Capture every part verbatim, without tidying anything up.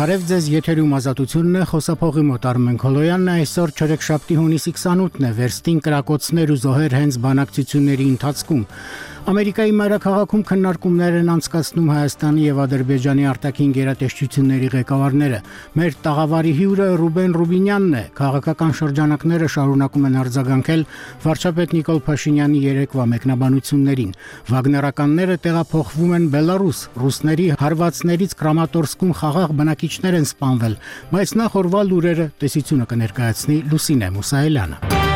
Բարև ձեզ, եթերում ազատությունն է, խոսափողի մոտ Արմեն Քոլոյանն է, այսօր չորեքշաբթի հունիսի քսանութն է, վերստին կրակոցներ ու զոհեր հենց բանակցությունների ընթացքում։ Ամերիկայի մայրաքաղաքում քննարկումներ են անցկացնում Հայաստանի եւ Ադրբեջանի արտաքին գերատեսչությունների ղեկավարները։ Մեր տաղավարի հյուրը Ռուբեն Ռուբինյանն է։ Քաղաքական շրջանակները շարունակում են արձագանքել վարչապետ Նիկոլ Փաշինյանի երեկվա մեկնաբանություններին։ Վագներականները տեղափոխվում են Բելարուս, ռուսների հարվածներից Կրամատորսկում խաղաղ բնակիչներ են սպանվել, բայց նախ օրվա լուրերը տեսությունը կներկայացնի Լուսինե Մուսայելյանը։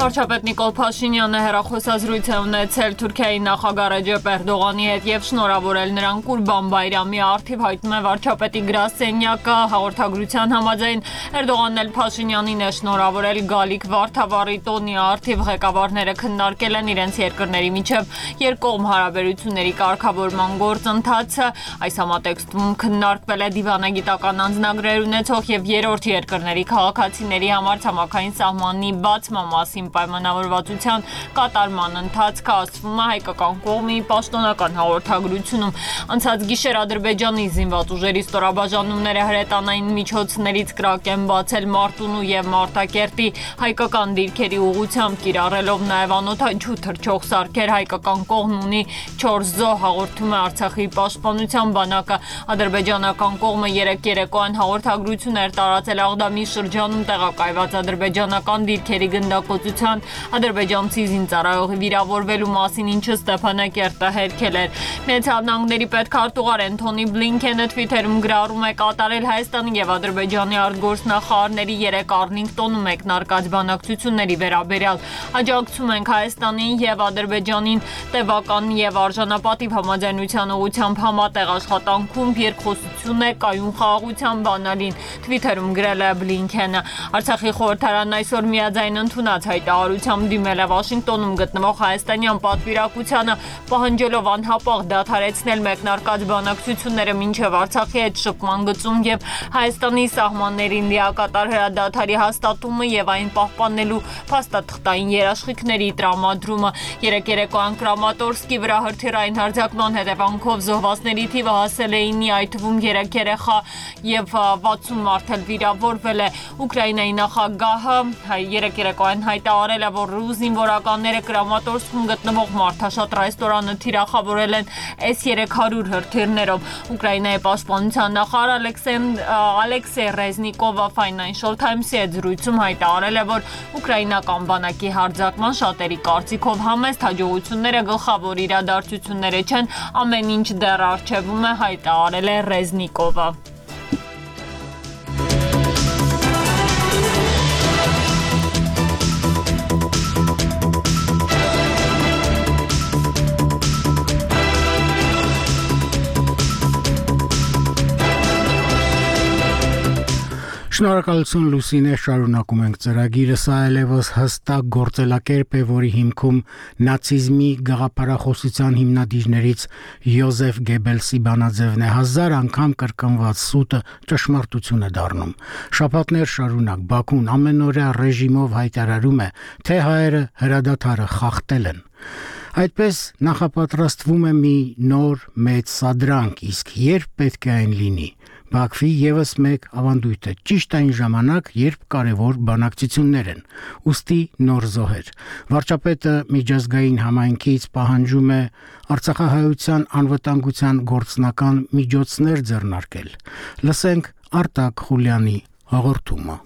Վարչապետ Նիկոլ Փաշինյանը հեռախոսազրույց է ունեցել Թուրքիայի նախագահ Ռեջեփ Էրդողանի հետ եւ շնորհավորել նրան Կուրբան Բայրամի առթիվ, հայտնում է վարչապետի գրասենյակը։ Հաղորդագրության համաձայն Էրդողանն էլ Փաշինյանին է շնորհավորել գալիք Վարդավառի տոնի առթիվ։ Ղեկավարները քննարկել են իրենց երկրների միջև երկկողմ հարաբերությունների կարգավորման գործընթացը։ Այս համատեքստում քննարկվել է դիվանագիտական անձնագրեր ունեցող եւ երրորդ երկրների քաղաքացիների համար ցամաքային սահմանի բացման մասին պայմանավորվածության կատարման ընթացքը, ասվում է հայկական կողմի պաշտոնական հաղորդագրությունում։ Անցած գիշեր Ադրբեջանի զինված ուժերի ստորաբաժանումները հրետանային միջոցներից կրակ են բացել Մարտունու եւ Մարտակերտի հայկական դիրքերի ուղղությամբ, կիրառելով նաեւ անօդաչու թռչող սարքեր։ Հայկական կողմն ունի չորս զոհ, հաղորդում է Արցախի պաշտպանության բանակը։ Ադրբեջանական կողմը երեկ երեկոյան հաղորդագրություն էր տարածել Աղդամի շրջանում տեղակայված ադրբեջանական դիրքերի գնդակոծության ադրբեջանցի զինծառայողի վիրավորվելու մասին, ինչը Ստեփանակերտը հերքել էր։ Միացյալ Նահանգների պետքարտուղար Էնթոնի Բլինքենը Թվիթերում գրառում է կատարել Հայաստանի եւ Ադրբեջանի արտգործնախարարների երեք Արլինգտոնում մեկնարկած բանակցությունների վերաբերյալ։ Աջակցում ենք Հայաստանին եւ Ադրբեջանին տևական եւ արժանապատիվ համաձայնության ուղղությամբ համատեղ աշխատանքում, երկխոսություն է կայուն խաղաղության բանալին, Թվիթերում գրել է Բլինքենը։ Արցախի խորհրդարանն այսօր միաձայն ընդունած հայտարարությամբ դիմել է Վաշինգտոնում գտնվող հայաստանյան պատվիրակությանը, պահանջելով անհապաղ դադարեցնել մեկնարկած բանակցությունները մինչև Արցախի հետ շփման գծում եւ Հայաստանի սահմաններին լիակատար հրադադարի հաստատումը եւ այն պահպանելու փաստաթղթային երաշխիքների տրամադրումը։ Երեք երեկոյան Կրամատորսկի վրա հրթիռային հարձակման հետևանքով զոհվածների թիվը հասել է ինի, այդ թվում երեք երեխա եւ վաթսուն մարդ էլ վիրավորվել է։ Ուկրաինայի նախագահը երեք երեկոյան հայտարարել է, որ ռուս զինվորականները Կրամատորսկում գտնվող մարդաշատ ռեստորանը թիրախավորել են էս երեք հարյուր հրթիռներով։ Ուկրաինայի պաշտպանության նախարար Ալեքսեյ Ռեզնիկովը Financial Times-ի հետ զրույցում հայտարարել է, որ ուկրաինական բանակի հարձակման շատերի կարծիքով համեստ հաջողությունները գլխավոր իրադարձությունները չեն, ամեն ինչ դեռ առջևում է, հայտարարել է Ռեզնիկովը։ Շնորհակալություն Լուսինե, շարունակում ենք ծրագիրը, սա այլևս հստակ գործելակերպ է, որի հիմքում նացիզմի գաղափարախոսության հիմնադիրներից Յոզեֆ Գեբելսի բանաձևն է, հազար անգամ կրկնված սուտը ճշմարտություն է դառնում։ Շաբաթներ շարունակ Բաքուն ամենօրյա ռեժիմով հայտարարում է, թե հայերը հրադադարը խախտել են։ Այդպես նախապատրաստվում է մի նոր մեծ սադրանք, իսկ երբ պետք է այն լինի։ Բաքվի եւս մեկ ավանդույթ է, ճիշտ այն ժամանակ, երբ կարևոր բանակցություններ են, ուստի նոր զոհեր։ Վարչապետը միջազգային համայնքից պահանջում է արցախահայության անվտանգության գործնական միջոցներ ձեռնարկել։ Լսենք Արտակ Խուլյանի հաղորդումը։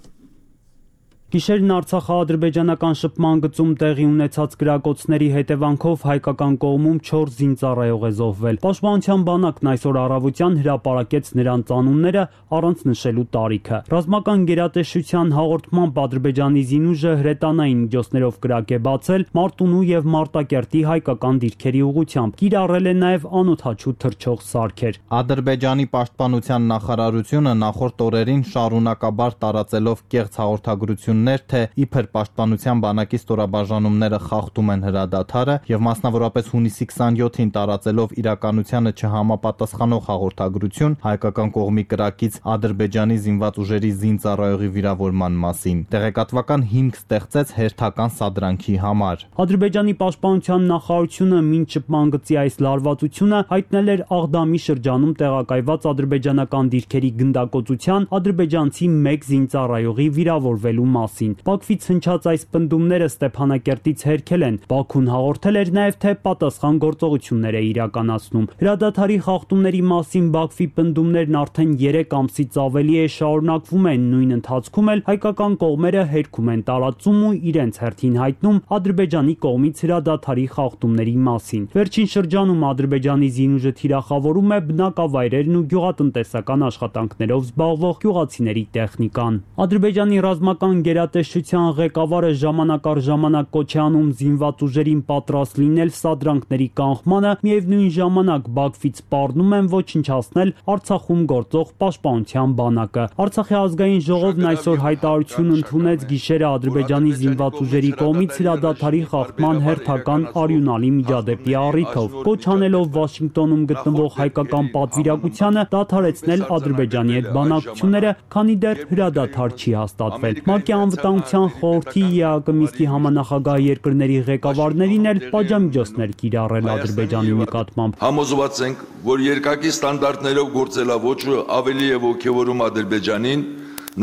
Գիշերն Արցախա-ադրբեջանական շփման գծում տեղի ունեցած կրակոցների հետևանքով հայկական կողմում չորս զինծառայող է զոհվել։ Պաշտպանության բանակն այսօր առավոտյան հրապարակեց նրանց անունները առանց նշելու տարիքը։ Ռազմական գերատեսչության հաղորդմամբ Ադրբեջանի զինուժը հրետանային միջոցներով կրակ է բացել Մարտունու եւ Մարտակերտի հայկական դիրքերի ուղղությամբ, կիրառել է նաեւ անօդաչու թռչող սարքեր։ Ադրբեջանի պաշտպանության նախարարությունը նախորդ օրերին շարունակաբար տարածելով կեղծ հաղորդագրություն հայտարարություններ, թե իբր պաշտպանության բանակի ստորաբաժանումները խախտում են հրադադարը եւ մասնավորապես հունիսի քսանյոթին տարածելով իրականությանը չհամապատասխանող հաղորդագրություն հայկական կողմի կրակից Ադրբեջանի զինված ուժերի զինծառայողի վիրավորման մասին, տեղեկատվական հիմք ստեղծեց հերթական սադրանքի համար։ Ադրբեջանի պաշտպանության նախարարությունը մինչ շփման գծի այս լարվածությունը հայտնել էր Աղդամի շրջանում տեղակայված ադրբեջանական դիրքերի գնդակոծության ադրբեջանցի մեկ զինծառայողի վիրավորվելու մասին։ Բաքվից հնչած այս պնդումները Ստեփանակերտից հերքել են։ Բաքուն հաղորդել էր նաև, թե պատասխան գործողություններ է իրականացնում։ Հրադադարի խախտումների մասին Բաքվի պնդումներն արդեն երեք ամսից ավելի է շարունակվում են, նույն ընթացքում էլ հայկական կողմերը հերքում են տարածում ու իրենց հերթին հայտնում Ադրբեջանի կողմից հրադադարի խախտումների մասին։ Վերջին շրջանում Ադրբեջանի զինուժը թիրախավորում է բնակավայրերն ու գյուղատնտեսական աշխատանքներով զբաղվող գյուղացիների տեխնիկան։ Ադրբեջանի ռազմական գերատեսչության ղեկավարը ժամանակ առ ժամանակ կոչ է անում զինված ուժերին պատրաստ լինել սադրանքների կանխմանը, միևնույն ժամանակ Բաքվից սպառնում են ոչնչացնել Արցախում գործող պաշտպանության բանակը։ Արցախի ազգային ժողովն այսօր հայտարարություն ընդունեց գիշերը Ադրբեջանի զինված ուժերի կողմից հրադադարի խախտման հերթական արյունալի միջադեպի առիթով, կոչ անելով Վաշինգտոնում գտնվող հայկական պատվիրակությանը դադարեցնել Ադրբեջանի հետ բանակցությունները, քանի դեռ հրադադար չի հաստատվել։ ՄԱԿ-ի անվտանգության խորհրդի ԵԱԿ Մինսկի համանախագահ երկրների ղեկավարներին էլ պատժամիջոցներ կիրառել Ադրբեջանի նկատմամբ։ Համոզված ենք, որ երկակի ստանդարտներով գործելավոճը ավելի է ոգևորում Ադրբեջանին,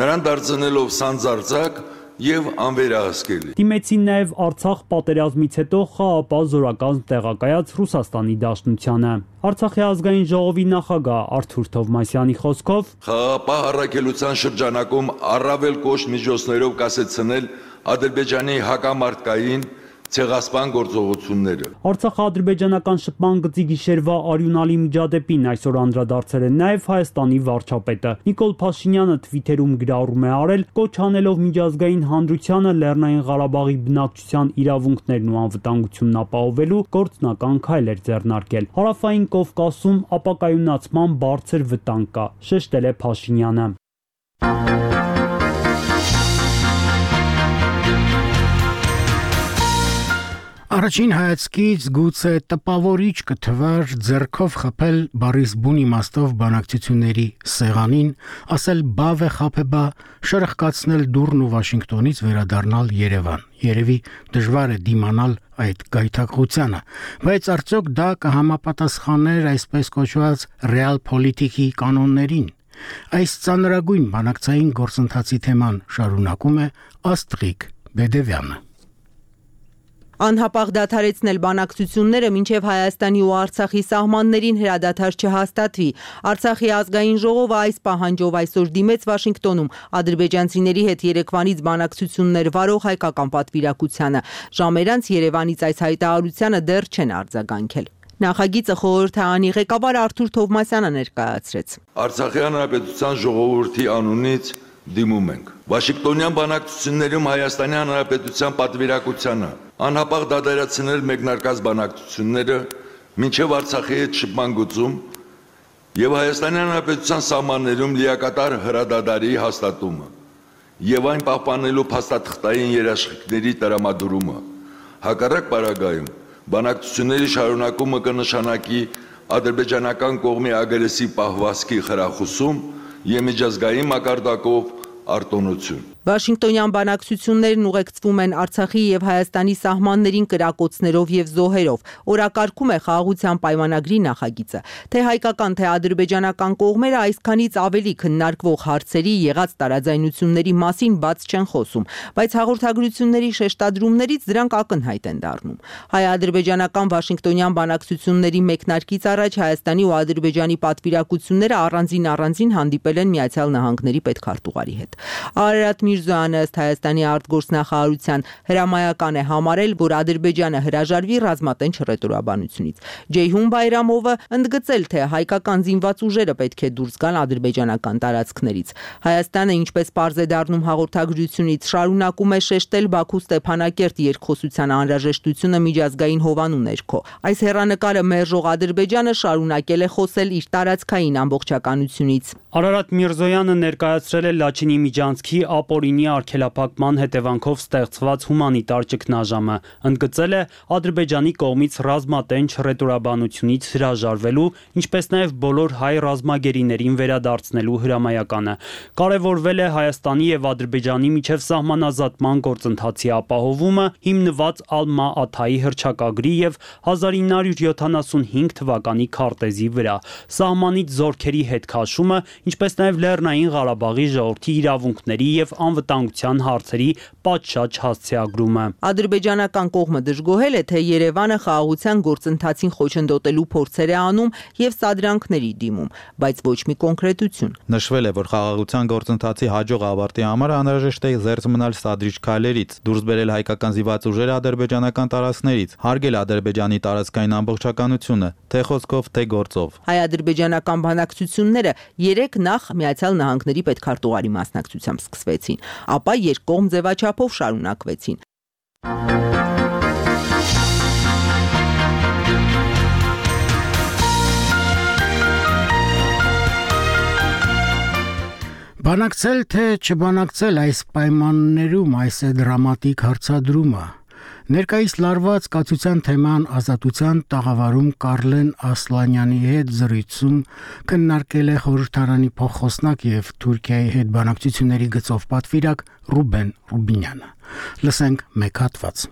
նրան դարձնելով սանձարձակ եւ անվերահսկելի։ Դիմեցին նաև Արցախ պատերազմից հետո խաղապահ զորական տեղակայած Ռուսաստանի Դաշնությանը։ Արցախի ազգային ժողովի նախագահ Արթուր Թովմասյանի խոսքով խաղապահ առաքելության շրջանակում առավել կոշտ միջոցներով կասեցնել Ադրբեջանի հակամարտկային ցեղասպան գործողությունները։ Արցախա-ադրբեջանական շփման գծի գիշերվա արյունալի միջադեպին այսօր անդրադարձել է նաև Հայաստանի վարչապետը։ Նիկոլ Փաշինյանը թվիթերում գրառում է արել, կոչ անելով միջազգային հանրությանը Լեռնային Ղարաբաղի բնակչության իրավունքներն ու անվտանգությունն ապահովելու գործնական քայլեր ձեռնարկել։ Հարավային Կովկասում ապակայունացման բարձր վտանգ կա, շեշտել է Փաշինյանը։ Առաջին հայացքից գուցե տպավորիչ կթվար ձեռքով խփել Բարիս բուն իմաստով բանակցությունների սեղանին, ասել բավ է խափեբա, շրխկացնել դուրն ու Վաշինգտոնից վերադառնալ Երևան։ Երևի դժվար է դիմանալ այդ գայթակղությանը, բայց արդյոք դա կհամապատասխաներ այսպես կոչված ռեալ պոլիտիկի կանոններին։ Այս ծանրագույն բանակցային գործընթացի թեման շարունակում է Աստղիկ Բեդևյանը։ Անհապաղ դադարեցնել բանակցությունները մինչև Հայաստանի ու Արցախի սահմաններին հրադադար չհաստատվի։ Արցախի ազգային ժողովը այս պահանջով այսօր դիմեց Վաշինգտոնում ադրբեջանցիների հետ երեկվանից բանակցություններ վարող հայկական պատվիրակությանը։ Ժամեր անց Երևանից այս հայտարարությանը դեռ չեն արձագանքել։ Նախագիծը խորհրդարանի ղեկավար Արթուր Թովմասյանը ներկայացրեց։ Արցախի հանրապետության ժողովրդի անունից դիմում ենք Վաշինգտոնյան բանակցություններում Հայաստանի հանրապետության պատվիրակությանը անհապաղ դադարեցնել մեկնարկած բանակցությունները մինչև Արցախի հետ շփման գծում եւ Հայաստանի հանրապետության սահմաններում լիակատար հրադադարի հաստատումը եւ այն պահպանելու փաստաթղթային երաշխիքների տրամադրումը։ Հակառակ պարագայում բանակցությունների շարունակումը կնշանակի ադրբեջանական կողմի ագրեսիվ պահվածքի խրախուսում եւ միջազգային մակարդակով արտոնություն։ Վաշինգտոնյան բանակցություններն ուղեկցվում են Արցախի եւ Հայաստանի սահմաններին կրակոցներով եւ զոհերով։ Օրակարգում է խաղաղության պայմանագրի նախագիծը։ Թե հայկական, թե ադրբեջանական կողմերը այսքանից ավելի քննարկվող հարցերի եղած տարաձայնությունների մասին բաց չեն խոսում, բայց հաղորդագրությունների շեշտադրումներից դրանք ակնհայտ են դառնում։ Հայ-ադրբեջանական Վաշինգտոնյան բանակցությունների մեկնարկից առաջ Հայաստանի ու Ադրբեջանի պատվիրակությունները առանձին առանձին հանդիպել են Միացյալ Նահանգների պետքարտուղարի հետ։ Արարատ Միրզոյանը ըստ Հայաստանի արտգործնախարարության հրամայական է համարել, որ Ադրբեջանը հրաժարվի ռազմատենչ հռետորաբանությունից։ Ջեյհուն Բայրամովը ընդգծել, թե հայկական զինված ուժերը պետք է դուրս գան ադրբեջանական տարածքներից։ Հայաստանը, ինչպես պարզ է դառնում հաղորդագրությունից, շարունակում է շեշտել Բաքու-Ստեփանակերտ երկխոսության անհրաժեշտությունը միջազգային հովանու ներքո։ Այս հեռանկարը մերժող Ադրբեջանը շարունակել է խոսել իր տարածքային ամբողջականությունից։ Արարատ Միրզոյանը ներկայացրել է Լաչինի Միջանցքի ապօրինի տարօրինի արգելափակման հետևանքով ստեղծված հումանիտար ճգնաժամը, ընդգծել է Ադրբեջանի կողմից ռազմատենչ ռետորաբանությունից հրաժարվելու, ինչպես նաև բոլոր հայ ռազմագերիներին վերադարձնելու հրամայականը։ Կարևորվել է Հայաստանի եւ Ադրբեջանի միջև սահմանազատման գործընթացի ապահովումը, հիմնված Ալմա-Աթայի հռչակագրի եւ հազար ինը հարյուր յոթանասունհինգ թվականի քարտեզի վրա, սահմանից զորքերի հետ քաշումը, ինչպես նաև Լեռնային Ղարաբաղի ժողովրդի իրավունքների եւ անվտանգության հարցերի պատշաճ հասցեագրումը։ Ադրբեջանական կողմը դժգոհել է, թե Երևանը խաղաղության գործընթացին խոչընդոտելու փորձեր է անում եւ սադրանքների դիմում, բայց ոչ մի կոնկրետություն։ Նշվել է, որ խաղաղության գործընթացի հաջող ավարտի համար անհրաժեշտ է զերծ մնալ սադրիչ քայլերից, դուրս բերել հայկական զինված ուժերը ադրբեջանական տարածքներից, հարգել Ադրբեջանի տարածքային ամբողջականությունը, թե խոսքով, թե գործով։ Հայ-ադրբեջանական բանակցությունները երեք նախ Միացյալ Նահանգների պետքարտուղարի մասնակցությամբ սկսվեցին, ապա երկկողմ ձևաչափով շարունակվեցին։ Բանակցել թե չբանակցել այս պայմաններում այս է դրամատիկ հարցադրումը։ Ներկայիս լարված կացության թեման ազատության տաղավարում Կարլեն Ասլանյանի հետ զրույցում քննարկել է խորհրդարանի փոխխոսնակ եւ Թուրքիայի հետ բանակցությունների գծով պատվիրակ Ռուբեն Ռուբինյանը։ Լսենք մեկ հատված։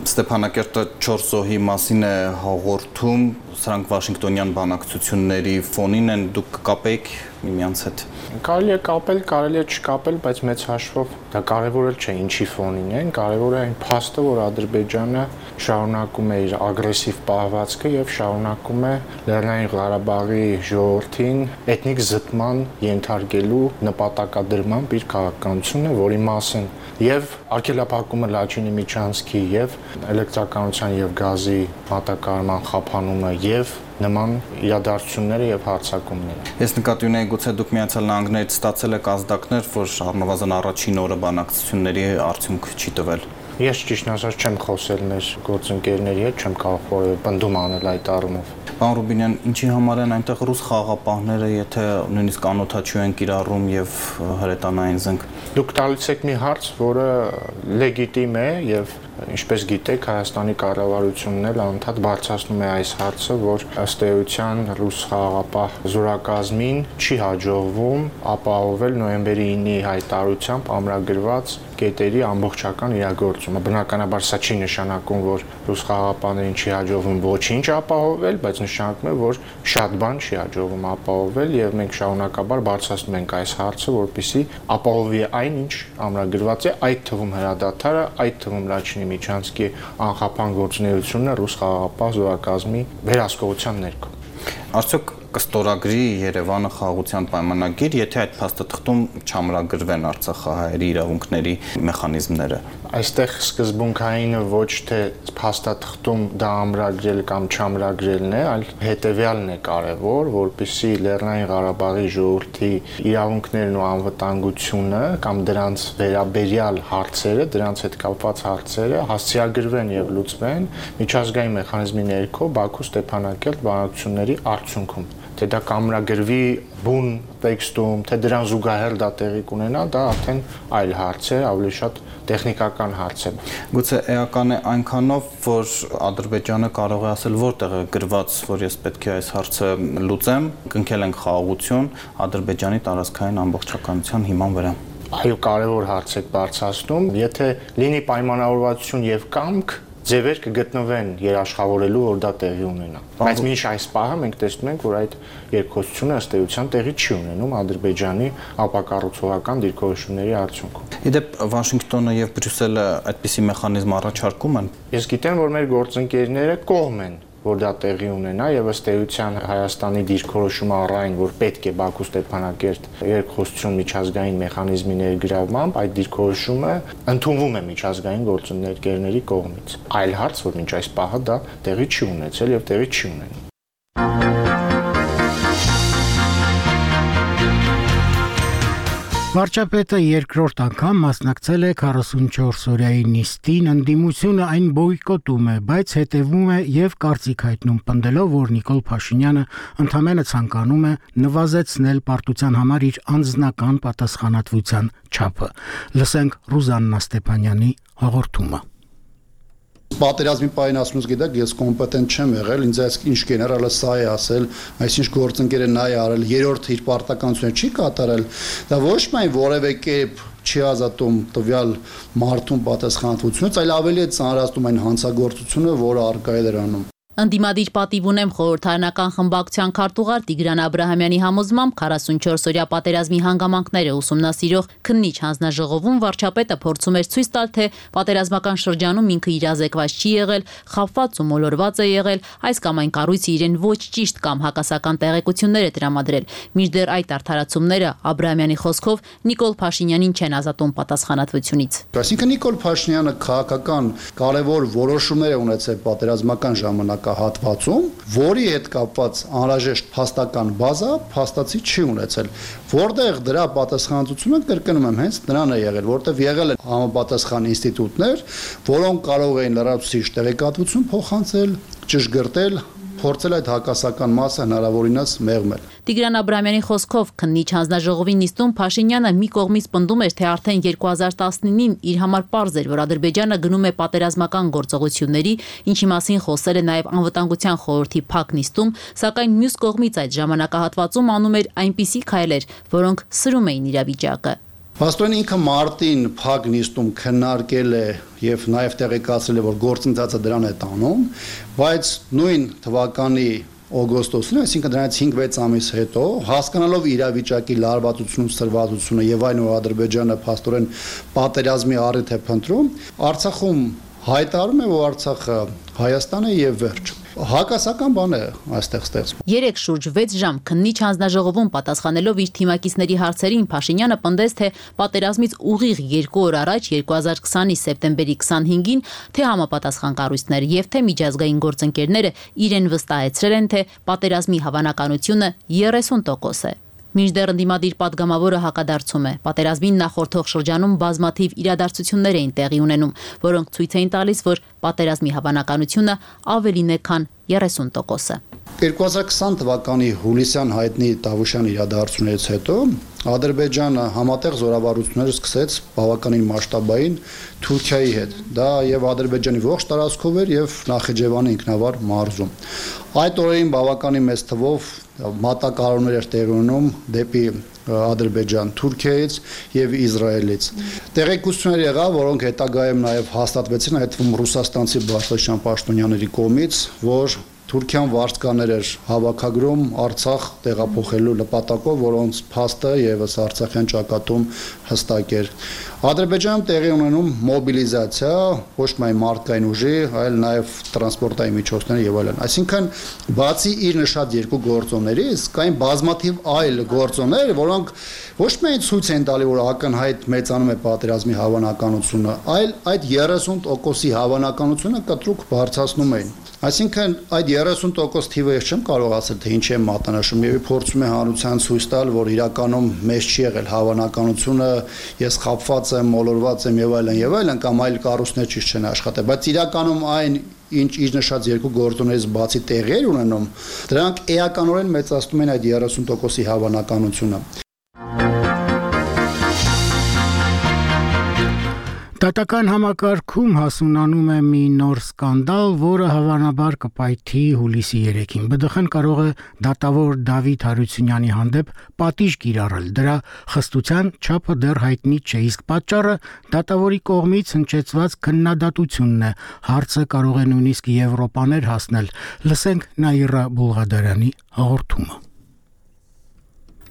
Ստեփանակերտը չորս զոհի մասին է հաղորդում, սրանք Վաշինգտոնյան բանակցությունների ֆոնին են, դուք կկապեիք միմյանց հետ։ Կարելի է կապել, կարելի է չկապել, բայց մեծ հաշվով դա կարևորել չէ ինչի ֆոնին են, կարևոր է այն փաստը, որ Ադրբեջանը շարունակում է իր ագրեսիվ պահվածքը եւ շարունակում է Լեռնային Ղարաբաղի ժողովրդին էթնիկ զտման ենթարկելու նպատակադրմամբ իր քաղաքականությունը, որի մասին եւ արգելափակումը Լաչինի Միչանսկի եւ էլեկտրականության եւ գազի մատակարարման խափանումը եւ նման իրադարձությունները եւ հարձակումները։ Ես նկատի ունեի, գուցե դուք Միացյալ Նահանգներից ստացել եք ազդակներ, որ առնվազն առաջին օրը բանակցությունների արդյունք չի տվել։ Ես ճիշտ ասած չեմ խոսել մեր գործընկերների հետ, չեմ կարող որևէ պնդում անել այդ առումով։ Պարոն Ռուբինյան, ինչի համար են այնտեղ ռուս խաղաղապահները, եթե նույնիսկ անօթաչու են կիրառում եւ հրետանային զենք։ Դուք տալիս եք մի հարց, որը լեգիտիմ է եւ ինչպես գիտեք, Հայաստանի կառավարությունն էլ անդադ բարձրացնում է այս հարցը, որ ըստ էության ռուս խաղաղապահ զորակազմին չի հաջողվում ապահովել նոյեմբերի ինի հայտարարությամբ ամրագրված կետերի ամբողջական իրագործումը։ Բնականաբար սա չի նշանակում, որ ռուս խաղաղապահներին չի հաջողվում ոչինչ ապահովել, բայց նշանակում է, որ շատ բան չի հաջողվում ապահովել եւ մենք շարունակաբար բարձրացնում ենք այս հարցը, որպեսզի ապահովի այն, ինչ ամրագրված է, այդ թվում հրադադարը, այդ թվում Լաչինի Միչանսկի անխափան գործունեությունը ռուս խաղաղապահ զորակազմի վերահսկողության ներքո։ Արդյոք կստորագրի Երևանը խաղաղության պայմանագիր, եթե այդ փաստաթղթում չամրագրվեն արցախահայերի իրավունքների մեխանիզմները։ Այստեղ սկզբունքայինը ոչ թե փաստաթղթում դա ամրագրել կամ չամրագրելն է, այլ հետեւյալն է կարևոր, որպեսզի Լեռնային Ղարաբաղի ժողովրդի իրավունքներն ու անվտանգությունը կամ դրանց վերաբերյալ հարցերը, դրանց հետ կապված հարցերը հասցեագրվեն եւ լուծվեն միջազգային մեխանիզմի ներքո Բաքու Ստեփանակերտ բանակցությունների արդյունքում։ Թե դա կամրագրվի բուն տեքստում, թե դրան զուգահեռ դա տեղի կունենա, դա արդեն այլ հարց է, ավելի շատ տեխնիկական հարց է։ Գուցե էական է այնքանով, որ Ադրբեջանը կարող է ասել որտեղ է գրված, որ ես պետք է այս հարցը լուծեմ, կնքել ենք խաղաղություն Ադրբեջանի տարածքային ամբողջականության հիման վրա։ Այո, կարևոր հարց եք բարձրացնում, եթե լինի պայմանավորվածություն եւ կամք, ձևեր կգտնվեն երաշխավորելու, որ դա տեղի ունենա։ Բայց մինչ այս պահը մենք տեսնում ենք, որ այդ երկխոսությունը ըստ էության տեղի չի ունենում Ադրբեջանի ապակառուցողական դիրքորոշումների արդյունքում։ Իդեպ Վաշինգտոնը եւ Բրյուսելը այդպիսի մեխանիզմ առաջարկում են։ Ես գիտեմ, որ մեր գործընկերները կողմ են, որ դա տեղի ունենա եւ ըստ էության Հայաստանի դիրքորոշումը առայն, որ պետք է Բաքու Ստեփանակերտ երկխոսություն միջազգային մեխանիզմի ներգրավմամբ այդ դիրքորոշումը ընդունվում է միջազգային գործընկերների կողմից։ Այլ հարց, որ մինչ այս պահը դա տեղի չի ունեցել եւ տեղի չի ունենում։ Վարչապետը երկրորդ անգամ մասնակցել է քառասունչորս օրյայի նիստին, ընդդիմությունը այն բոյկոտում է, բայց հետևում է եւ կարծիք հայտնում, պնդելով, որ Նիկոլ Փաշինյանը ընդամենը ցանկանում է նվազեցնել պարտության համար իր անձնական պատասխանատվության չափը։ Լսենք Ռուզաննա Ստեփանյանի հաղորդումը։ Պատերազմի պահին ասում գիտեք, ես կոմպետենտ չեմ եղել, ինձ այս ինչ գեներալը սա է ասել, այսինչ գործընկերը նա է արել, երրորդը իր պարտականությունը չի կատարել, դա ոչ միայն որևէ կերպ չի ազատում տվյալ մարդուն պատասխանատվությունից, այլ ավելի է ծանրացնում այն հանցագործությունը, որը առկա է դրանում։ Ընդդիմադիր պատիվ ունեմ խորհրդարանական խմբակցության քարտուղար Տիգրան Աբրահամյանի համոզմամբ քառասունչորս օրյա պատերազմի հանգամանքները ուսումնասիրող քննիչ հանձնաժողովում վարչապետը փորձում էր ցույց տալ, թե պատերազմական շրջանում ինքը իրազեկված չի եղել, խաբված ու մոլորված է եղել, այս կամ այն կառույցը իրեն ոչ ճիշտ կամ հակասական տեղեկություններ է տրամադրել։ Մինչդեռ այդ արդարացումները Աբրահամյանի խոսքով Նիկոլ Փաշինյանին չեն ազատում պատասխանատվությունից։ Այսինքն Նիկոլ Փաշինյանը քաղաքական կարևոր որոշումներ է ունեցել պատերազմական ժամանակ հատվածում, որի հետ կապված անհրաժեշտ փաստական բազա փաստացի չի ունեցել, որտեղ դրա պատասխանատվությունը կրկնում եմ հենց նրան է եղել, որտեղ եղել են համապատասխան ինստիտուտներ, որոնք կարող էին լրացուցիչ տեղեկատվություն փոխանցել, ճշգրտել, փորձել այդ հակասական մասը հնարավորինս մեղմել։ Տիգրան Աբրահամյանի խոսքով քննիչ հանձնաժողովի նիստում Փաշինյանը մի կողմից պնդում էր, թե արդեն երկու հազար տասնինին իր համար պարզ էր, որ Ադրբեջանը գնում է պատերազմական գործողությունների, ինչի մասին խոսել է նաև անվտանգության խորհրդի փակ նիստում, սակայն մյուս կողմից այդ ժամանակահատվածում անում էր այնպիսի քայլեր, որոնք սրում էին իրավիճակը։ Պաստորեն ինքը մարտին փակ նիստում քննարկել է եւ նաեւ տեղեկացրել է, որ գործընթացը դրան է տանում, բայց նույն թվականի օգոստոսին, այսինքն դրանից հինգ-վեց ամիս հետո, հասկանալով իրավիճակի լարվածությունն ու սրվածությունը եւ այն, որ Ադրբեջանը պաստորեն պատերազմի առիթ է փնտրում, Արցախում հայտարարում է, որ Արցախը Հայաստան է եւ վերջ։ Հակասական բան է այստեղ ստեղծվում։ Երեք շուրջ վեց ժամ քննիչ հանձնաժողովում պատասխանելով իր թիմակիցների հարցերին Փաշինյանը պնդեց, թե պատերազմից ուղիղ երկու օր առաջ երկու հազար քսանի սեպտեմբերի քսանհինգին թե համապատասխան կառույցները եւ թե միջազգային գործընկերները իրեն վստահեցրել են, թե պատերազմի հավանականությունը երեսուն տոկոս է։ Մինչդեռ ընդդիմադիր պատգամավորը հակադարձում է։ Պատերազմին նախորդող շրջանում բազմաթիվ իրադարձություններ էին տեղի ունենում, որոնք ցույց էին տալիս, որ պատերազմի հավանականությունը ավելին է, քան երեսուն տոկոսը։ երկու հազար քսան թվականի հուլիսյան հայտնի Տավուշյան իրադարձություններից հետո Ադրբեջանը համատեղ զորավարություններ սկսեց բավականին մասշտաբային Թուրքիայի հետ։ Դա եւ Ադրբեջանի ողջ տարածքով էր եւ Նախիջևանի ինքնավար մարզում։ Այդ օրերին բավականին մեծ թվով մատակարարումներ էր տեղի ունենում դեպի Ադրբեջան, Թուրքիայից եւ Իսրայելից։ Տեղեկություններ եղավ, որոնք հետագայում նաեւ հաստատվեցին, այդ թվում ռուսաստանցի Բարձրաշան պաշտոնյաների կողմից, որ Թուրքիան վարձկաներ էր հավաքագրում Արցախ տեղափոխելու նպատակով, որոնց փաստը եւս Արցախյան ճակատում հստակ էր։ Ադրբեջանում տեղի ունենում մոբիլիզացիա, ոչ միայն մարդկային ուժի, այլ նաեւ տրանսպորտային միջոցների եւ այլն։ Այսինքն, բացի իր նշած երկու գործոններից, կային բազմաթիվ այլ գործոններ, որոնք ոչ միայն ցույց են տալի, որ ակնհայտ մեծանում է պատերազմի հավանականությունը, այլ այդ երեսուն տոկոսի հավանականությունը կտրուկ բարձրացնում էին։ Այսինքն այդ երեսուն տոկոս թիվը ես չեմ կարող ասել, թե ինչ է մատնանշում, եւ փորձում է հանրության ցույց տալ, որ իրականում մեծ չի եղել հավանականությունը, ես խաբված եմ, մոլորված եմ եւ այլն եւ այլն, կամ այլ կառույցներ ճիշտ չեն աշխատել, բայց իրականում այն ինչ իր նշած երկու գործոններից բացի տեղի ունենում, դրանք էականորեն մեծացնում են այդ երեսուն տոկոսի հավանականությունը։ Դատական համակարգում հասունանում է մի նոր սկանդալ, որը հավանաբար կպայթի հուլիսի երեքին։ ԲԴԽ-ն կարող է դատավոր Դավիթ Հարությունյանի հանդեպ պատիժ կիրառել։ Դրա խստության չափը դեռ հայտնի չէ, իսկ պատճառը դատավորի կողմից հնչեցված քննադատությունն է։ Հարցը կարող է նույնիսկ Եվրոպաներ հասնել։ Լսենք Նաիրա Բուլղադարյանի հաղորդումը։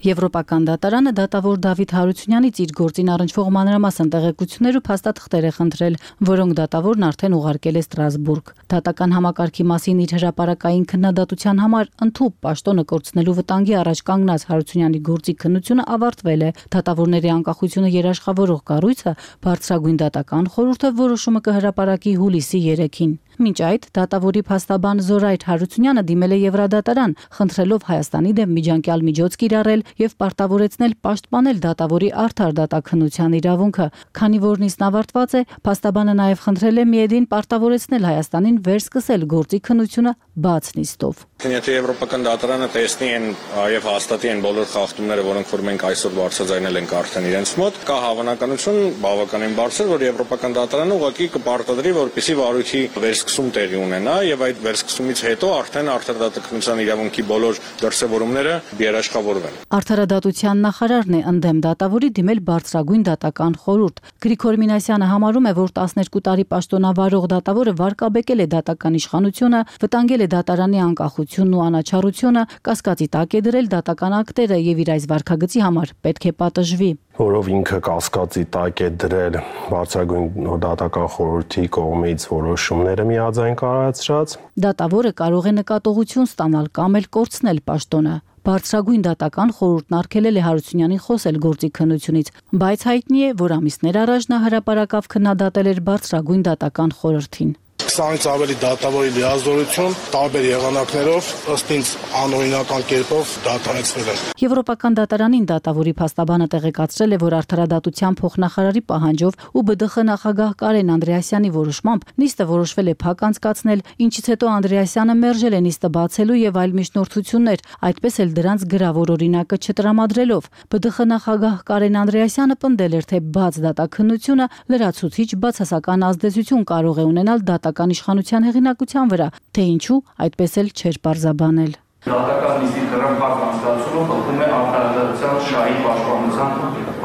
Եվրոպական դատարանը դատավոր Դավիթ Հարությունյանից իր գործին առնչվող մանրամասն տեղեկություններ ու փաստաթղթեր է խնդրել, որոնք դատավորն արդեն ուղարկել է Ստրասբուրգ։ Դատական համակարգի մասին իր հրապարակային քննադատության համար ընդհուպ պաշտոնը կորցնելու վտանգի առաջ կանգնած Հարությունյանի գործի քննությունը ավարտվել է։ Դատավորների անկախությունը երաշխավորող կառույցը բարձրագույն դատական խորհուրդը որոշումը կհրապարակի հուլիսի երեքին։ Մինչ այդ դատավորի փաստաբան Զորայր Հարությունյանը դիմել է Եվրադատարան, խնդրելով Հայաստանի դեմ միջանկյալ միջոց կիրառել եւ պարտավորեցնել պաշտպանել դատավորի արդար դատաքննության իրավունքը։ Քանի որ նիստն ավարտված է, փաստաբանը նաեւ խնդրել է Միեդին պարտավորեցնել Հայաստանին վերսկսել գործի քննությունը բաց նիստով։ Եթե Եվրոպական դատարանը տեսնի են եւ հաստատի են բոլոր խախտումները, որոնք որ մենք այսօր բարձրաձայնել ենք արդեն իրենց մոտ, կա հավանականություն բավականին բարձր, որ Եվրոպական դատարանը ուղղակի կպարտադրի, որպեսզի վարույթի վերսկսում տեղի ունենա եւ այդ վերսկսումից հետո արդեն արդարադատական իրավունքի բոլոր դրսեւորումները երաշխավորվեն։ Արդարադատության նախարարն է ընդդեմ դատավորի դիմել բարձրագույն դատական խորհուրդ։ Գրիգոր Մինասյանը համարում է, որ տասներկու տարի պաշտոնավարող դատավորը վարկաբեկել է դատական իշխանությունը, վտանգել է դատարանի անկախությունն ու անաչառությունը, կասկածի տակ է դրել դատական ակտերը եւ իր այս վարքագծի համար պետք է պատժվի։ Որով ինքը կասկածի տակ է դրել բարձրագույն դատական խորհրդի կողմից որոշումները միաձայն կայացրած։ Դատավորը կարող է նկատողություն ստանալ կամ էլ կորցնել պաշտոնը։ Բարձրագույն դատական խորհուրդն արգելել է Հարությունյանին խոսել գործի քննությունից, բայց հայտնի է, որ ամիսներ առաջ նա հրապարակավ քննադատել էր բարձրագույն դատական խորհրդին։ Քսանից ավելի դատավորի լիազորություն տարբեր եղանակներով ըստ ինձ անօրինական կերպով դադարեցվել են։ Եվրոպական դատարանին դատավորի փաստաբանը տեղեկացրել է, որ արդարադատության փոխնախարարի պահանջով ու ԲԴԽ նախագահ Կարեն Անդրեասյանի որոշմամբ նիստը որոշվել է փակ անցկացնել, ինչից հետո Անդրեասյանը մերժել է նիստը բացելու եւ այլ միջնորդություններ, այդպես էլ դրանց գրավոր օրինակը չտրամադրելով։ ԲԴԽ նախագահ Կարեն Անդրեասյանը պնդել էր, թե բաց դատաքննությունը լրացուցիչ բացասական ազդեցություն կարող է ունենալ դատական իշխանության հեղինակության վրա, թե ինչու այդպես էլ չէր պարզաբանել։ Դատական նիստի դրամփակ անցկացումը խախտում է արդարադատության շահի պաշտպանության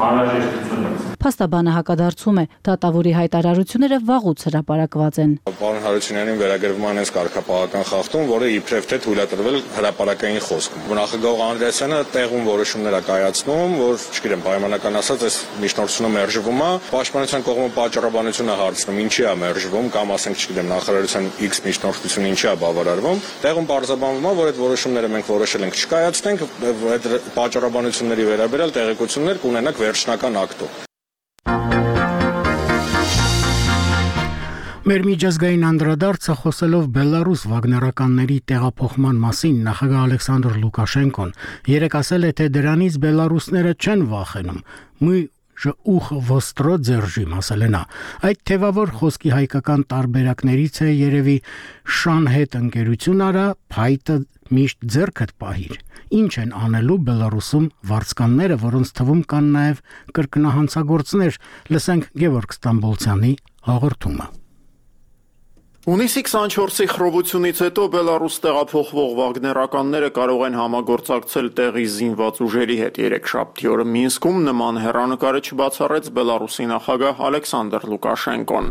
անհրաժեշտությունը։ Փաստաբանը հակադարձում է, դատավորի հայտարարությունները վաղուց հրապարակված են։ Պարոն Հարությունյանին վերագրվում է այնպես կարգապահական խախտում, որը իբրև թե թույլատրվել հրապարակային խոսքում։ Նախագահ Անդրեասյանը տեղում որոշումներ է կայացնում, որ, չգիտեմ, պայմանական ասած, այս միջնորդությունը մերժվում է, պաշտպանության կողմը պատճառաբանությունը հարցնում, ինչի է մերժվում, կամ ասենք, չգիտեմ, նախարարության X միջնորդությունը ինչի է բավարարվում։ Տեղում պարզաբանվում է, որ այդ որոշումները մենք որոշել ենք չկայացնենք, այդ պատճառաբանությունների վերաբերյալ տեղեկություններ կունենանք վերջնական ակտով։ Մեր միջազգային անդրադարձը խոսելով Բելարուս վագներականների տեղափոխման մասին նախագահ Ալեքսանդր Լուկաշենկոն երեկ ասել է, թե դրանից բելարուսները չեն վախենում։ «Мы же ух востро держим», ասել է նա։ Այդ թևավոր խոսքի հայկական տարբերակներից է երևի «Շան հետ ընկերություն արա, փայտը միշտ ձեռքդ պահիր»։ Ինչ են անելու Բելարուսում վարձկանները, որոնց թվում կան նաև կրկնահանցագործներ։ Լսենք Գևորգ Ստամբոլցյանի հաղորդումը։ Հունիսի քսանչորսի խռովությունից հետո Բելարուս տեղափոխվող վագներականները կարող են համագործակցել տեղի զինված ուժերի հետ։ Երեքշաբթի օրը Մինսկում նման հեռանկարը չբացառեց Բելարուսի նախագահ Ալեքսանդր Լուկաշենկոն։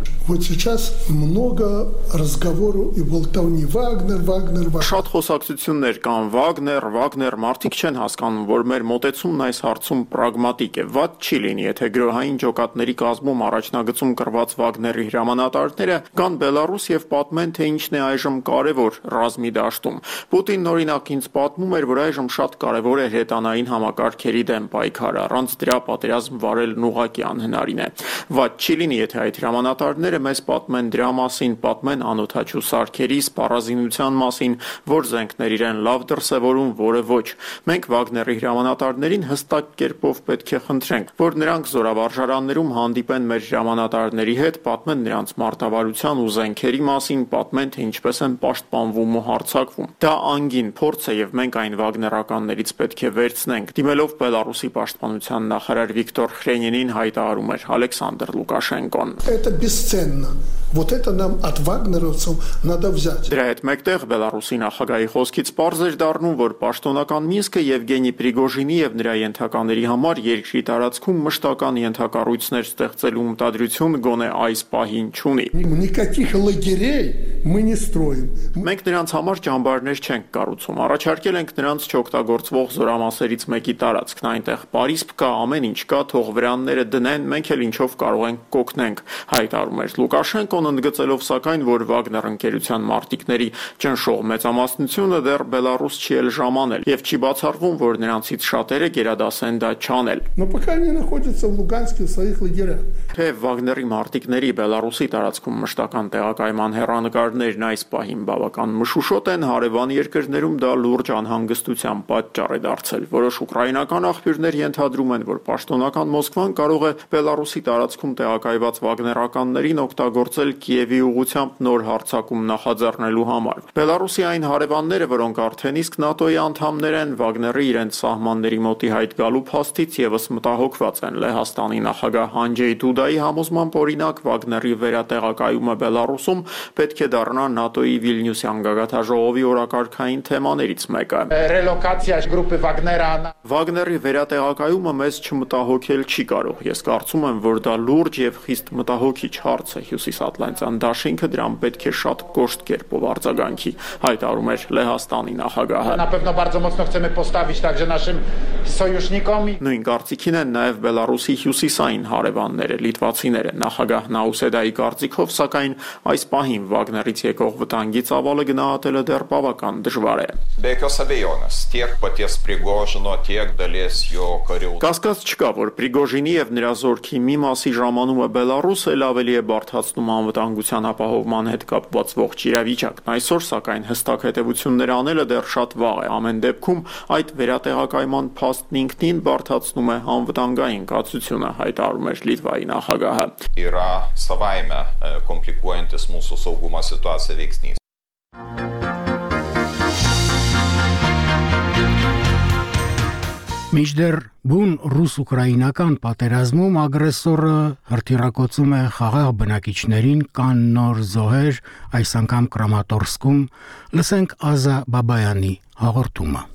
Շատ խոսակցություններ կան Վագներ, Վագներ, մարդիկ չեն հասկանում, որ մեր մոտեցումն այս հարցում պրագմատիկ է։ Վատ չի լինի, եթե գրոհային ջոկատների կազմում առաջնագծում կրված Վագների հրամանատարները կան Բելարուս եւ պատմեն, թե ինչն է այժմ կարևոր ռազմի դաշտում։ Պուտինն օրինակ ինձ պատմում էր, որ այժմ շատ կարևոր է հրետանային համակարգերի դեմ պայքարը, առանց դրա պատերազմ վարելն ուղղակի անհնարին է։ Վատ չի լինի, եթե այդ հրամանատարները մեզ պատմեն դրա մասին, պատմեն անօթաչու սարքերի, սպառազինության մասին, որ զենքներ իրեն լավ դրսևորում, որը ոչ։ Մենք Վագների հրամանատարներին հստակ կերպով պետք է խնդրենք, որ նրանք զորավարժարաններում հանդիպեն մեր հրամանատարների հետ, պատմեն նրանց մարտավարության ու զենքերի մասին, պատմեն, թե ինչպես են պաշտպանվում ու հարձակվում։ Դա անգին փորձ է եւ մենք այն վագներականներից պետք է վերցնենք։ Դիմելով Բելարուսի պաշտպանության նախարար Վիկտոր Խրենինին հայտարարում էր Ալեքսանդր Լուկաշենկոն։ Это бесценно. Вот это нам от вагнеровцев надо взять. Դրա հետ մեկտեղ Բելարուսի նախագահի խոսքից պարզ էր դառնում, որ պաշտոնական Մինսկը Եվգենի Պրիգոժինի եւ նրա ենթակաների համար երկրի տարածքում մշտական ենթակառույցներ ստեղծելու մտադրություն գոնե այս պահին չունի։ Никаких лагерей мы не строим. Մենք նրանց համար ճամբարներ չենք կառուցում։ Առաջարկել ենք նրանց չօգտագործվող զորամասերից մեկի տարածքն, այնտեղ Պարիսպ կա, ամեն ինչ կա, թող վրանները դնեն, մենք էլ ինչով կարող ենք կօգնենք, հայտարարում էր Լուկաշենկոն, ընդգծելով սակայն, որ Վագներ ընկերության մարտիկների ճնշող մեծամասնությունը դեռ Բելարուս չի էլ ժամանել եւ չի բացառվում, որ նրանցից շատերը գերադասեն դա չանել։ Но пока они находятся в Луганске в своих лагерях. Թե Վագների մարտիկների Բելարուսի տարածքում մշտական տեղակայման Նման հեռանկարներն այս պահին բավական մշուշոտ են, հարևան երկրներում դա լուրջ անհանգստության պատճառ է դարձել։ Որոշ ուկրաինական աղբյուրներ ենթադրում են, որ պաշտոնական Մոսկվան կարող է Բելարուսի տարածքում տեղակայված վագներականներին օգտագործել Կիևի ուղղությամբ նոր հարձակում նախաձեռնելու համար։ Բելարուսի այն հարևանները, որոնք արդեն իսկ ՆԱՏՕ-ի անդամներ են, Վագները իրենց սահմանների մոտի հայտ գալու փաստից եւս մտահոգված են։ Լեհաստանի նախագահ Անջեյ Դուդայի համոզմամբ օրինակ Վագների վերատեղակայումը Բելարուսում պետք է դառնա ՆԱՏՕ-ի Վիլնյուսյան գագաթաժողովի օրակարգային թեմաներից մեկը։ Ռելոկացիա գրուպի Վագները Վագների վերատեղակայումը մեզ չմտահոգել չի կարող։ Ես կարծում եմ, որ դա լուրջ եւ խիստ մտահոգիչ հարց է։ Հյուսիսատլանտյան դաշինքը դրան պետք է շատ կոշտ կերպով արձագանքի, հայտարարում էր Լեհաստանի նախագահը։ Напевно, bardzo mocno chcemy postawić także naszym sojusznikom. Նույն կարծիքին են նաև Բելարուսի հյուսիսային հարևանները, լիտվացիները։ Նախագահ Նաուսեդայի կարծիքով, սակայն այս պահին Վագներից եկող վտանգի ծավալը գնահատելը դեռ բավական դժվար է։ Կասկած չկա, որ Պրիգոժինի եւ նրա զորքի մի մասի ժամանումը Բելարուս էլ ավելի է բարդացնում անվտանգության ապահովման հետ կապված ողջ իրավիճակն։ Այսօր, սակայն, հստակ հետևություններ անելը դեռ շատ վաղ է։ Ամեն դեպքում այդ վերատեղակայման փաստն ինքնին բարդացնում է անվտանգային կացությունը, հայտարարում էր Լիտվայի նախագահը։ Yra savaime komplikuojantis mūsų saugumo situaciją veiksnys. Միջդեռ բուն ռուս-ուկրաինական պատերազմում ագրեսորը հրթիռակոծում է խաղաղ բնակիչներին, կան նոր զոհեր, այս անգամ Կրամատորսկում, լսենք Ազա Բաբայանի հաղորդումը։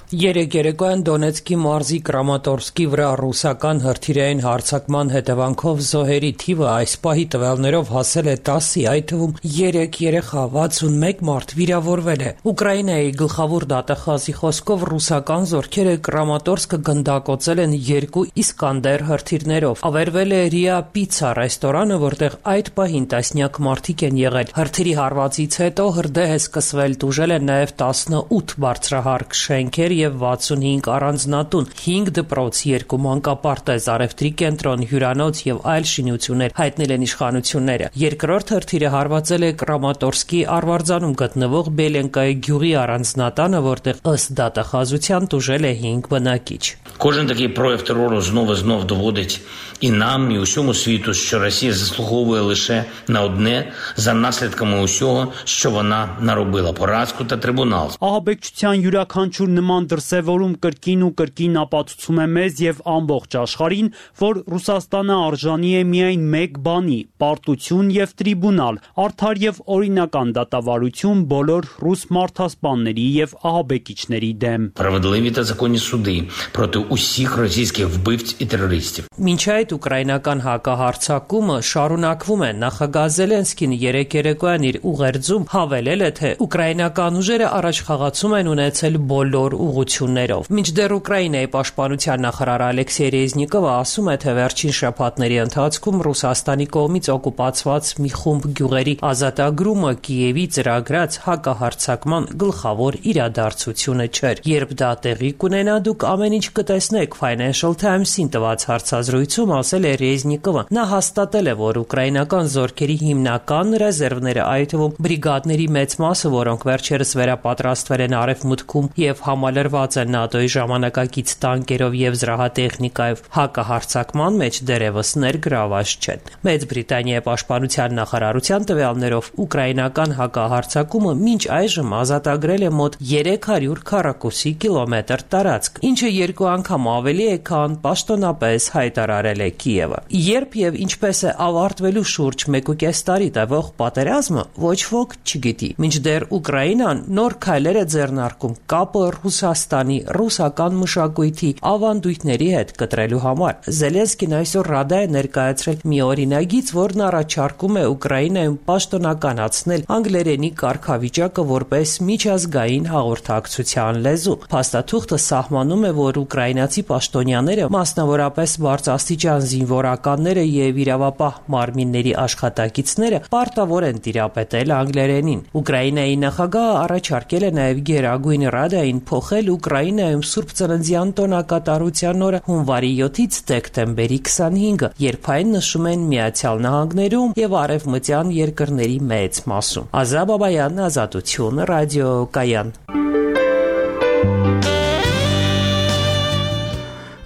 Երեկ երեկոյան Դոնեցկի մարզի Կրամատորսկի վրա ռուսական հրթիռային հարձակման հետևանքով զոհերի թիվը այս պահի տվյալներով հասել է տասի, այդ թվում երեք երեխա, վաթսունմեկ մարդ վիրավորվել է։ Ուկրաինայի գլխավոր դատախազի խոսքով ռուսական զորքերը Կրամատորսկը գնդակոծել են երկու Իսկանդեր հրթիռներով։ Ավերվել է Ռիա Պիցա ռեստորանը, որտեղ այդ պահին տասնյակ մարդիկ են եղել։ Հրթիռի հարվածից հետո հրդեհ է սկսվել, տուժել են նաև տասնութ բարձրահարկ շենքեր և վաթսունհինգ առանձնատուն, հինգ դպրոց, երկու մանկապարտեզ, առևտրի կենտրոն, հյուրանոց և այլ շինություններ, հայտնել են իշխանությունները։ Երկրորդ հրթիռը հարվածել է Կրամատորսկի Արվարձանում գտնվող Բելենկայի գյուղի առանձնատանը, որտեղ ըստ դատախազության тужել է հինգ բնակիչ։ Кожен такий прояв терору знов і знов доводить і нам, і усьому світу, що Росія заслуговує лише на одне за наслідками усього, що вона наробила – поразку та трибунал. Ահաբեկչության յուրաքանչյուր նման դրսևորում կրկին ու կրկին ապացուցում է մեզ եւ ամբողջ աշխարհին, որ Ռուսաստանը արժանի է միայն մեկ բանի՝ պարտություն եւ տրիբունալ, արդար եւ օրինական դատավարություն բոլոր ռուս մարդասպանների եւ ահաբեկիչների դեմ։ Справедливі та законні суди проти усіх російських вбивць і терористів. Մինչ այդ ուկրաինական հակահարձակումը շարունակվում է։ Նախագահ Զելենսկին երեկ երեկոյան իր ուղերձում հավելել է, թե ուկրաինական ուժերը առաջխաղացում են ունեցել բոլոր ուղղություններով։ Մինչդեռ Ուկրաինայի պաշտպանության նախարար Ալեքսեյ Ռեզնիկովը ասում է, թե վերջին շաբաթների ընթացքում Ռուսաստանի կողմից օկուպացված մի խումբ գյուղերի ազատագրումը Կիևի ծրագրած հակահարձակման գլխավոր իրադարձությունը չէր։ Երբ դա տեղի կունենա, դուք ամեն ինչ կտեսնեք, Financial Times-ին տված հարցազրույցում ասել է Ռեզնիկովը։ Նա հաստատել է, որ ուկրաինական զորքերի հիմնական ռեզերվները, այդ թվում բրիգադների մեծ մասը, որոնք վերջերս վերապատրաստվել են Արևմուտքում եւ համալրված են ՆԱՏՕ-ի ժամանակակից տանկերով եւ զրահատեխնիկայով, հակահարձակման մեջ դեռևս ներգրաված չեն։ Մեծ Բրիտանիայի պաշտպանության նախարարության տվյալներով ուկրաինական հակահարձակումը մինչ այժմ ազատագրել է մոտ երեք հարյուր քառակուսի կիլոմետր տարածք, ինչը երկու անգամ ավելի է, քան պաշտոնապես հայտարարել է Կիևը։ Երբ եւ ինչպես է ավարտվելու շուրջ մեկուկես տարի տևող պատերազմը, ոչ ոք չգիտի։ Մինչդեռ Ուկրաինան նոր քայլեր է ձեռնարկում կապը Ռուսաստանի ռուսական մշակույթի ավանդույթների հետ կտրելու համար։ Զելենսկին այսօր Ռադա է ներկայացրել մի օրինագիծ, որն առաջարկում է Ուկրաինայում պաշտոնականացնել անգլերենի կարգավիճակը որպես միջազգային հաղորդակցության լեզու։ Փաստաթուղթը սահմանում է, որ ուկրաինացի պաշտոնյաները, մասնավորապես բարձրաստիճան զինվորականները եւ իրավապահ մարմինների աշխատակիցները պարտավոր են տիրապետել անգլերենին։ Ուկրաինայի նախագահը առաջարկել է նաեւ Գերագույն Ռադային փոխել կայացել Ուկրաինայում Սուրբ Ծննդյան տոնակատարության օրը հունվարի յոթից դեկտեմբերի քսանհինգը, երբ այն նշում են Միացյալ Նահանգներում եւ արևմտյան երկրների մեծ մասում։ Ազա Բաբայան, Ազատություն, ռադիոկայան։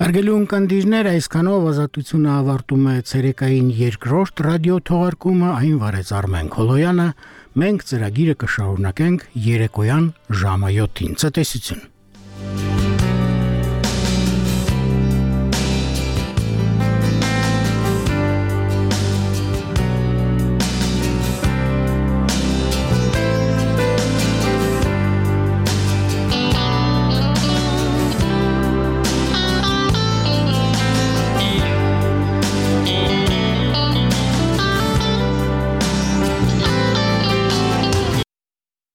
Արգելի ունկնդիրներ, այսքանով Ազատությունը ավարտում է ցերեկային երկրորդ ռադիո թողարկումը, այն վարեց Արմեն Քոլոյանը, մենք ծրագիրը կշարունակենք երեկոյան ժամը յոթին։ Ցտեսություն։